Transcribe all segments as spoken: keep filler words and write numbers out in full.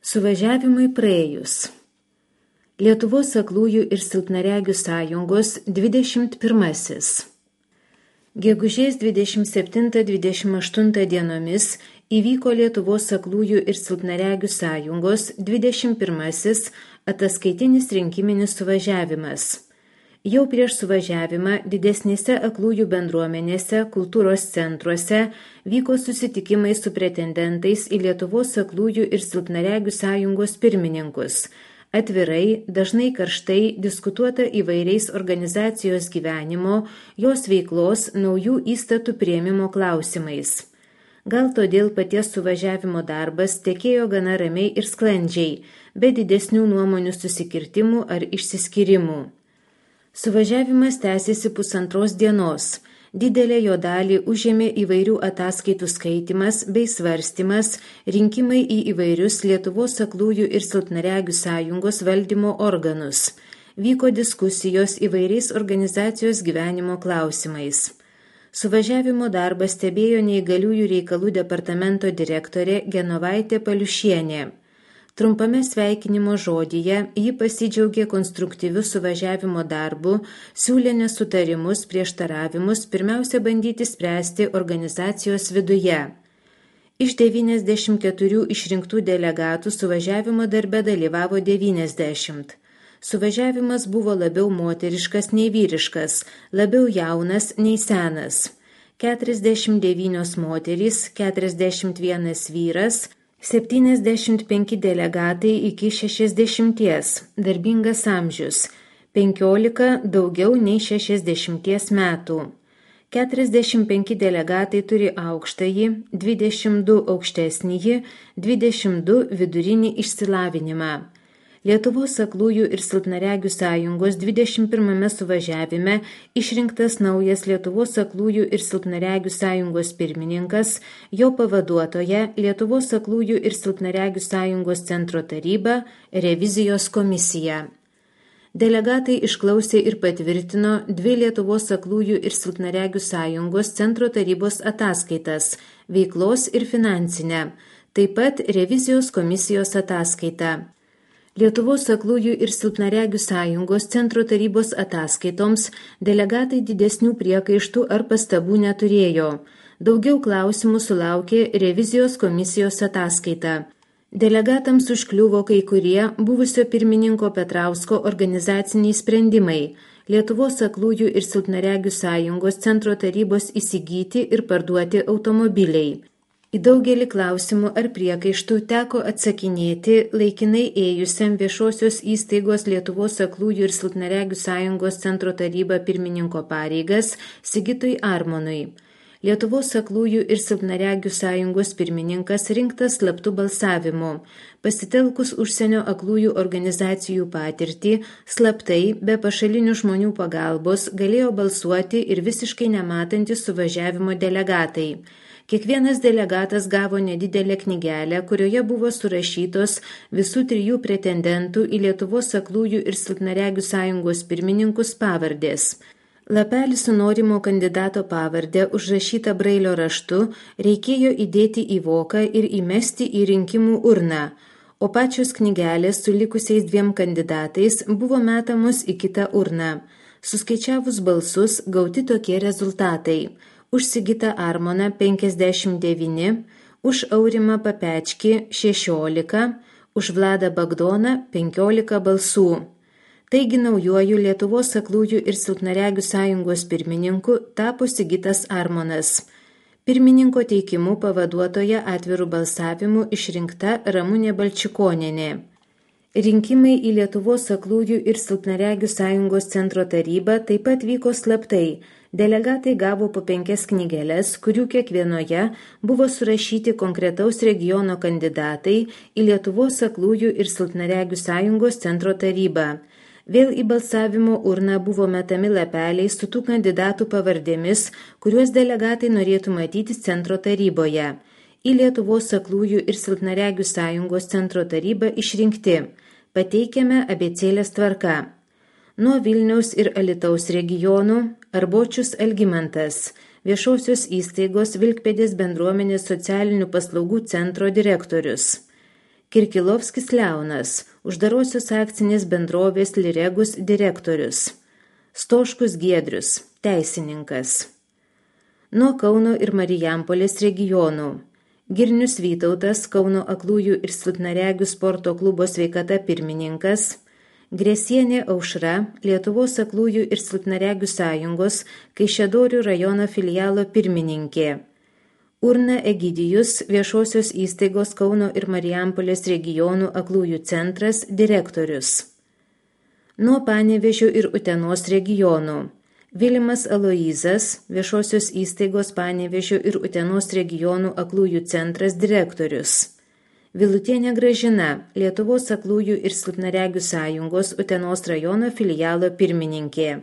Suvažiavimui praėjus. Lietuvos aklųjų ir silpnaregių sąjungos dvidešimt pirmasis. Gegužės dvidešimt septintą dvidešimt aštuntą dienomis įvyko Lietuvos aklųjų ir silpnaregių sąjungos dvidešimt pirmasis ataskaitinis rinkiminis suvažiavimas. Jau prieš suvažiavimą didesnėse aklųjų bendruomenėse, kultūros centruose vyko susitikimai su pretendentais į Lietuvos aklųjų ir silpnaregių sąjungos pirmininkus. Atvirai, dažnai karštai diskutuota įvairiais organizacijos gyvenimo, jos veiklos, naujų įstatų priėmimo klausimais. Gal todėl paties suvažiavimo darbas tekėjo gana ramiai ir sklandžiai, be didesnių nuomonių susikirtimų ar išsiskyrimų. Suvažiavimas tęsėsi pusantros dienos. Didelę jo dalį užėmė įvairių ataskaitų skaitimas bei svarstymas, rinkimai į įvairius Lietuvos aklųjų ir silpnaregių sąjungos valdymo organus. Vyko diskusijos įvairiais organizacijos gyvenimo klausimais. Suvažiavimo darbą stebėjo neįgaliųjų reikalų departamento direktorė Genovaitė Paliušienė. Trumpame sveikinimo žodyje ji pasidžiaugė konstruktyviu suvažiavimo darbu, siūlė nesutarimus, prieštaravimus pirmiausia bandyti spręsti organizacijos viduje. Iš devyniasdešimt keturių išrinktų delegatų suvažiavimo darbe dalyvavo devyniasdešimt. Suvažiavimas buvo labiau moteriškas nei vyriškas, labiau jaunas nei senas. keturiasdešimt devynios moterys, keturiasdešimt vienas vyras, septyniasdešimt penki delegatai iki šešiasdešimties, darbingas amžius, penkiolika daugiau nei šešiasdešimties metų. keturiasdešimt penki delegatai turi aukštąjį, dvidešimt du aukštesnįjį, dvidešimt du vidurinį išsilavinimą. Lietuvos aklųjų ir silpnaregių sąjungos dvidešimt pirmame suvažiavime išrinktas naujas Lietuvos aklųjų ir silpnaregių sąjungos pirmininkas, jo pavaduotoja Lietuvos aklųjų ir silpnaregių sąjungos centro taryba, revizijos komisija. Delegatai išklausė ir patvirtino dvi Lietuvos aklųjų ir silpnaregių sąjungos centro tarybos ataskaitas – veiklos ir finansinę, taip pat revizijos komisijos ataskaitą. Lietuvos aklųjų ir silpnaregių sąjungos centro tarybos ataskaitoms delegatai didesnių priekaištų ar pastabų neturėjo. Daugiau klausimų sulaukė revizijos komisijos ataskaita. Delegatams užkliuvo kai kurie buvusio pirmininko Petrausko organizaciniai sprendimai. Lietuvos aklųjų ir silpnaregių sąjungos centro tarybos įsigyti ir parduoti automobiliai. Į daugelį klausimų ar priekaištų teko atsakinėti laikinai ėjusiam viešosios įstaigos Lietuvos aklųjų ir silpnaregių sąjungos centro taryba pirmininko pareigas Sigitui Armonui. Lietuvos aklųjų ir silpnaregių sąjungos pirmininkas rinktas slaptu balsavimu. Pasitelkus užsienio aklųjų organizacijų patirtį, slaptai, be pašalinių žmonių pagalbos, galėjo balsuoti ir visiškai nematantys suvažiavimo delegatai. Kiekvienas delegatas gavo nedidelę knygelę, kurioje buvo surašytos visų trijų pretendentų į Lietuvos aklųjų ir silpnaregių sąjungos pirmininkus pavardės. Lapelį su norimo kandidato pavardė užrašyta brailio raštu reikėjo įdėti į voką ir įmesti į rinkimų urną, o pačios knygelės su likusiais dviem kandidatais buvo metamos į kitą urną. Suskaičiavus balsus gauti tokie rezultatai. Už Sigitą Armoną penkiasdešimt devyni, už Aurimą Papečkį šešiolika, už Vladą Bagdoną penkiolika balsų. Taigi naujuoju Lietuvos aklųjų ir silpnaregių sąjungos pirmininku tapo Sigitas Armonas. Pirmininko teikimu pavaduotoja atvirų balsavimų išrinkta Ramunė Balčikonienė. Rinkimai į Lietuvos aklųjų ir silpnaregių sąjungos centro tarybą taip pat vyko slaptai. Delegatai gavo po penkias knygeles, kurių kiekvienoje buvo surašyti konkretaus regiono kandidatai į Lietuvos aklųjų ir silpnaregių sąjungos centro tarybą. Vėl į balsavimo urną buvo metami lapeliai su tų kandidatų pavardėmis, kuriuos delegatai norėtų matyti centro taryboje. Į Lietuvos aklųjų ir silpnaregių sąjungos centro tarybą išrinkti. Pateikiame abėcėlės tvarka. Nuo Vilniaus ir Alytaus regionų Arbočius Algimantas, viešosios įstaigos Vilkpėdės bendruomenės socialinių paslaugų centro direktorius. Kirkilovskis Leonas, uždarosios akcinės bendrovės Liregus direktorius. Stoškus Giedrius, teisininkas. Nuo Kauno ir Marijampolės regionų. Girnius Vytautas, Kauno aklųjų ir silpnaregių sporto klubo Sveikata pirmininkas. Gresienė Aušra, Lietuvos aklųjų ir silpnaregių sąjungos Kaišiadorių rajono filialo pirmininkė. Urna Egidijus, viešosios įstaigos Kauno ir Marijampolės regionų aklųjų centras direktorius. Nuo Panevėžio ir Utenos regionų. Vilimas Aloyzas, viešosios įstaigos Panevėžio ir Utenos regionų aklųjų centras direktorius. Vilutienė Gražina, Lietuvos aklųjų ir silpnaregių sąjungos Utenos rajono filialo pirmininkė.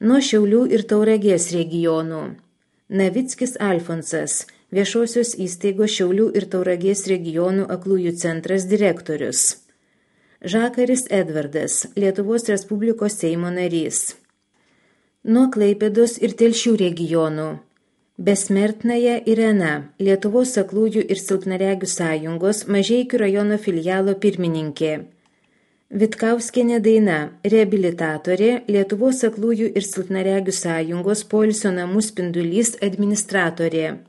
Nuo Šiaulių ir Tauragės regionų. Navickis Alfonsas, viešosios įstaigos Šiaulių ir Tauragės regionų aklųjų centras direktorius. Žakaris Edvardas, Lietuvos Respublikos Seimo narys. Nuo Klaipėdos ir Telšių regionų. Besmertnaja Irena, Lietuvos aklųjų ir silpnaregių sąjungos Mažeikių rajono filialo pirmininkė. Vitkauskienė Daina, reabilitatorė, Lietuvos aklųjų ir silpnaregių sąjungos Poilsio namų Spindulys administratorė.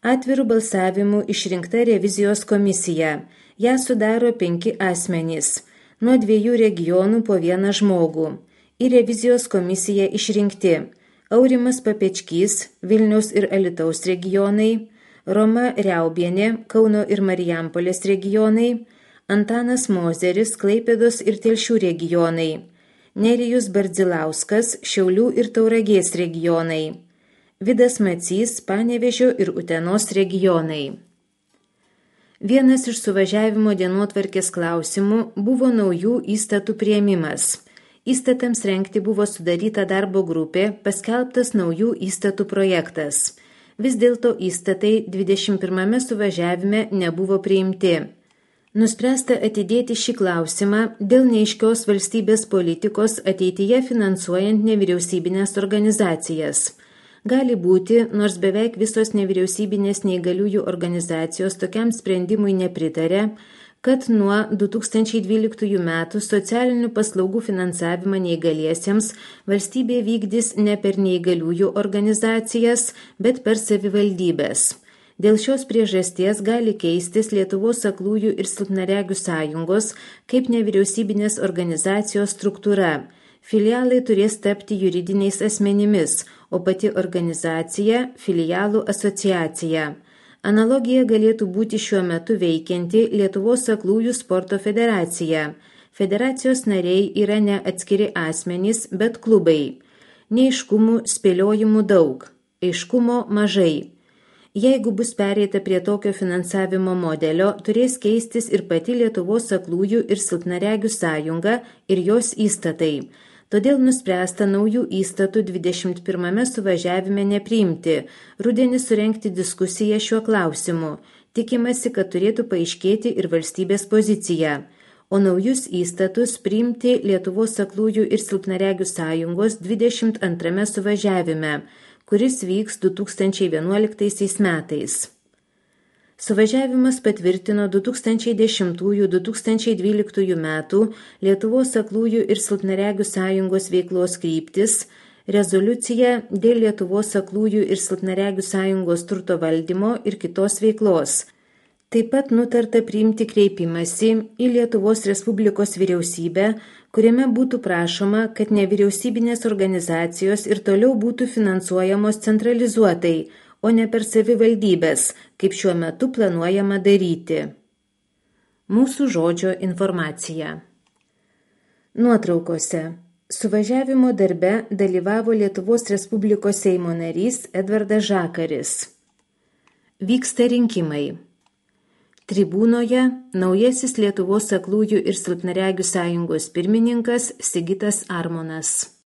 Atvirų balsavimų išrinkta revizijos komisija. Ją sudaro penki asmenys, nuo dviejų regionų po vieną žmogų. Į revizijos komisiją išrinkti Aurimas Papečkys, Vilniaus ir Alytaus regionai, Roma Riaubienė, Kauno ir Marijampolės regionai, Antanas Mozeris, Klaipėdos ir Telšių regionai, Nerijus Bardzilauskas, Šiaulių ir Tauragės regionai, Vidas Macys, Panevėžio ir Utenos regionai. Vienas iš suvažiavimo dienotvarkės klausimų buvo naujų įstatų priėmimas. Įstatams rengti buvo sudaryta darbo grupė, paskelbtas naujų įstatų projektas. Vis dėlto įstatai dvidešimt pirmame suvažiavime nebuvo priimti. Nuspręsta atidėti šį klausimą dėl neaiškios valstybės politikos ateityje finansuojant nevyriausybinės organizacijas. Gali būti, nors beveik visos nevyriausybinės neįgaliųjų organizacijos tokiam sprendimui nepritarė, kad nuo du tūkstančiai dvyliktųjų metų socialinių paslaugų finansavimą neįgaliesiems valstybė vykdys ne per neįgaliųjų organizacijas, bet per savivaldybės. Dėl šios priežasties gali keistis Lietuvos aklųjų ir silpnaregių sąjungos kaip nevyriausybinės organizacijos struktūra. Filialai turės tapti juridiniais asmenimis, o pati organizacija – filialų asociacija. Analogija galėtų būti šiuo metu veikianti Lietuvos aklųjų sporto federacija. Federacijos nariai yra ne atskiri asmenys, bet klubai. Neaiškumų, spėliojimų daug, aiškumo mažai. Jeigu bus pereita prie tokio finansavimo modelio, turės keistis ir pati Lietuvos aklųjų ir silpnaregių sąjunga ir jos įstatai. Todėl nuspręsta naujų įstatų dvidešimt pirmame suvažiavime nepriimti, rudenį surengti diskusiją šiuo klausimu. Tikimasi, kad turėtų paaiškėti ir valstybės pozicija, o naujus įstatus priimti Lietuvos aklųjų ir silpnaregių sąjungos dvidešimt antrame suvažiavime, kuris vyks du tūkstančiai vienuoliktaisiais metais. Suvažiavimas patvirtino du tūkstančiai dešimtųjų - du tūkstančiai dvyliktųjų metų Lietuvos aklųjų ir silpnaregių sąjungos veiklos kryptis, rezoliuciją dėl Lietuvos aklųjų ir silpnaregių sąjungos turto valdymo ir kitos veiklos. Taip pat nutarta priimti kreipimąsi į Lietuvos Respublikos vyriausybę, kuriame būtų prašoma, kad nevyriausybinės organizacijos ir toliau būtų finansuojamos centralizuotai, o ne per savivaldybės, kaip šiuo metu planuojama daryti. Mūsų žodžio informacija. Nuotraukose. Suvažiavimo darbe dalyvavo Lietuvos Respublikos Seimo narys Edvardas Žakaris. Vyksta rinkimai. Tribūnoje naujasis Lietuvos aklųjų ir silpnaregių sąjungos pirmininkas Sigitas Armonas.